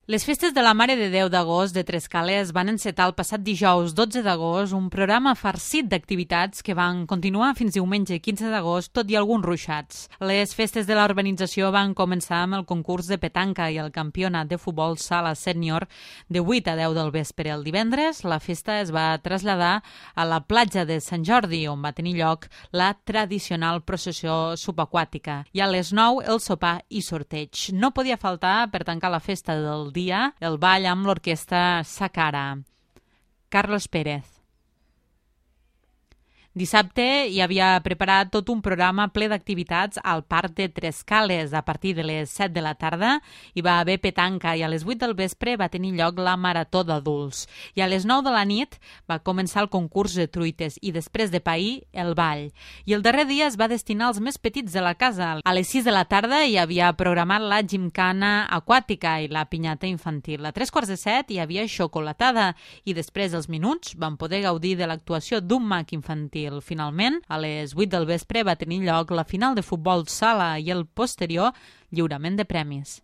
Les festes de la Mare de Déu d'agost de Trescales van encetar el passat dijous 12 d'agost un programa farcit d'activitats que van continuar fins diumenge 15 d'agost, tot i alguns ruixats. Les festes de la urbanització van començar amb el concurs de petanca i el campionat de futbol sala sènior de 8 a 10 del vespre. El divendres la festa es va traslladar a la platja de Sant Jordi, on va tenir lloc la tradicional processió subaquàtica, i a les 9 el sopar i sorteig. No podia faltar, per tancar la festa del dia, el ball amb l'orquestra Sacara. Carlos Pérez. Dissabte hi havia preparat tot un programa ple d'activitats al Parc de Trescales. A partir de les 7 de la tarda hi va haver petanca i a les 8 del vespre va tenir lloc la marató d'adults. I a les 9 de la nit va començar el concurs de truites i després de pair el ball. I el darrer dia es va destinar als més petits de la casa. A les 6 de la tarda hi havia programat la gimcana aquàtica i la pinyata infantil. A 3:45 hi havia xocolatada i després dels minuts van poder gaudir de l'actuació d'un mag infantil. Finalment, a les 8 del vespre va tenir lloc la final de futbol sala i el posterior lliurament de premis.